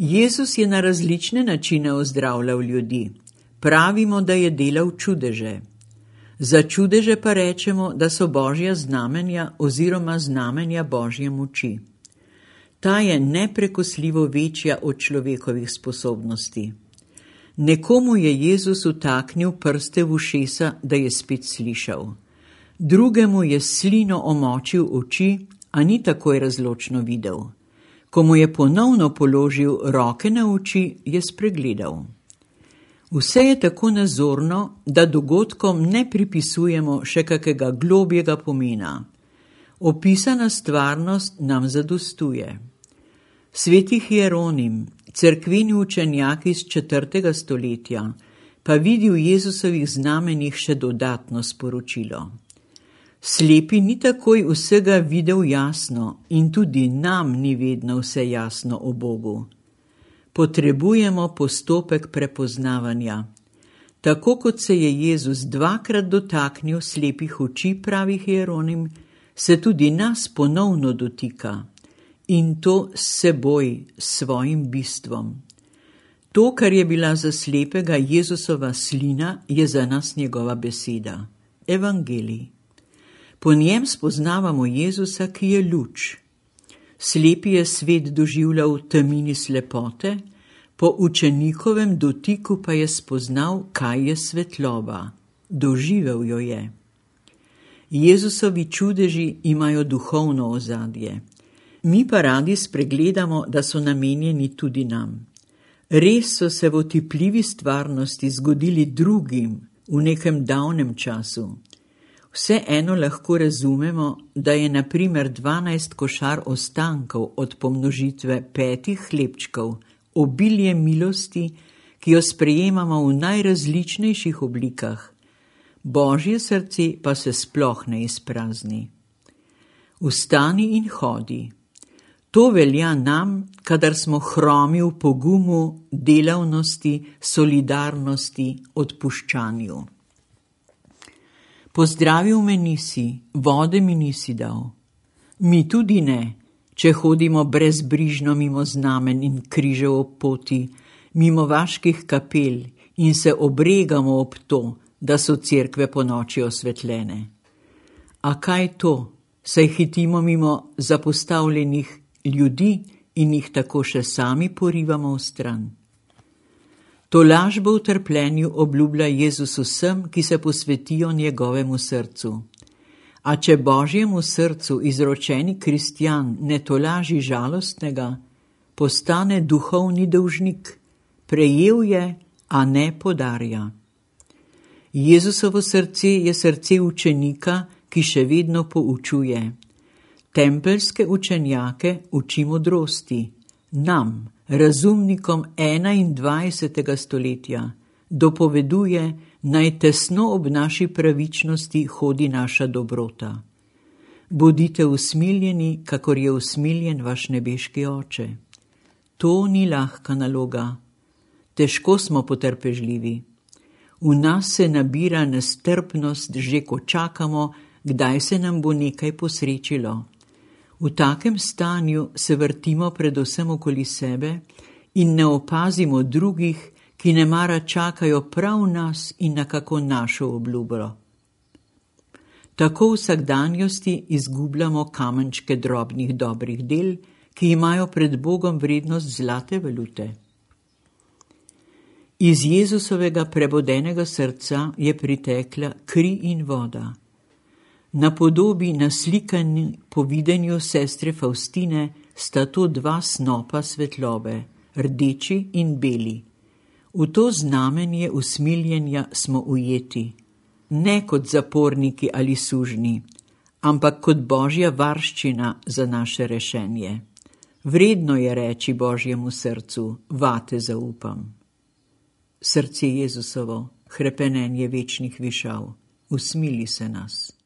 Jezus je na različne načine ozdravljal ljudi. Pravimo, da je delal čudeže. Za čudeže pa rečemo, da so Božja znamenja oziroma znamenja Božje moči. Ta je neprekosljivo večja od človekovih sposobnosti. Nekomu je Jezus vtaknil prste v ušesa, da je spet slišal. Drugemu je slino omočil oči, a ni takoj razločno videl. Ko mu je ponovno položil roke na oči, je spregledal. Vse je tako nazorno, da dogodkom ne pripisujemo še kakega globjega pomena. Opisana stvarnost nam zadostuje. Sveti Hieronim, cerkveni učenjak iz 4. stoletja, pa vidi v Jezusovih znamenjih še dodatno sporočilo. Slepi ni takoj vsega videl jasno in tudi nam ni vedno vse jasno o Bogu. Potrebujemo postopek prepoznavanja. Tako kot se je Jezus 2-krat dotaknil slepih oči, pravi Hieronim, se tudi nas ponovno dotika. In to s seboj, s svojim bistvom. To, kar je bila za slepega Jezusova slina, je za nas njegova beseda. Evangelij. Po njem spoznavamo Jezusa, ki je luč. Slepi je svet doživljal v temini slepote, po učenikovem dotiku pa je spoznal, kaj je svetloba. Doživel jo je. Jezusovi čudeži imajo duhovno ozadje. Mi pa radi spregledamo, da so namenjeni tudi nam. Res so se v otipljivi stvarnosti zgodili drugim v nekem davnem času. Vseeno lahko razumemo, da je na primer 12 košar ostankov od pomnožitve 5 hlebčkov obilje milosti, ki jo sprejemamo v najrazličnejših oblikah. Božje srce pa se sploh ne izprazni. Vstani in hodi. To velja nam, kadar smo hromi v pogumu, delavnosti, solidarnosti, odpuščanju. Pozdravil me nisi, vode mi nisi dal. Mi tudi ne, če hodimo brezbrižno mimo znamen in križev ob poti, mimo vaških kapel in se obregamo ob to, da so cerkve ponoči osvetljene. A kaj to, saj hitimo mimo zapostavljenih ljudi in jih tako še sami porivamo v stran. To lažbo v trpljenju obljublja Jezus vsem, ki se posvetijo njegovemu srcu. A če Božjemu srcu izročeni kristjan ne tolaži žalostnega, postane duhovni dolžnik, prejel je, a ne podarja. Jezusovo srce je srce učenika, ki še vedno poučuje. Tempeljske učenjake uči modrosti, nam, razumnikom 21. stoletja, dopoveduje, naj tesno ob naši pravičnosti hodi naša dobrota. Bodite usmiljeni, kakor je usmiljen vaš nebeški Oče. To ni lahka naloga. Težko smo potrpežljivi. V nas se nabira nestrpnost, že ko čakamo, kdaj se nam bo nekaj posrečilo. V takem stanju se vrtimo predvsem okoli sebe in ne opazimo drugih, ki nemara čakajo prav nas in na kako našo obljubo. Tako v vsakdanjosti izgubljamo kamenčke drobnih dobrih del, ki imajo pred Bogom vrednost zlate valute. Iz Jezusovega prebodenega srca je pritekla kri in voda. Na podobi naslikani po videnju sestre Faustine sta to 2 snopa svetlobe, rdeči in beli. V to znamenje usmiljenja smo ujeti, ne kot zaporniki ali sužnji, ampak kot Božja varščina za naše rešenje. Vredno je reči Božjemu srcu, vate zaupam. Srce Jezusovo, hrepenenje večnih višav, usmili se nas.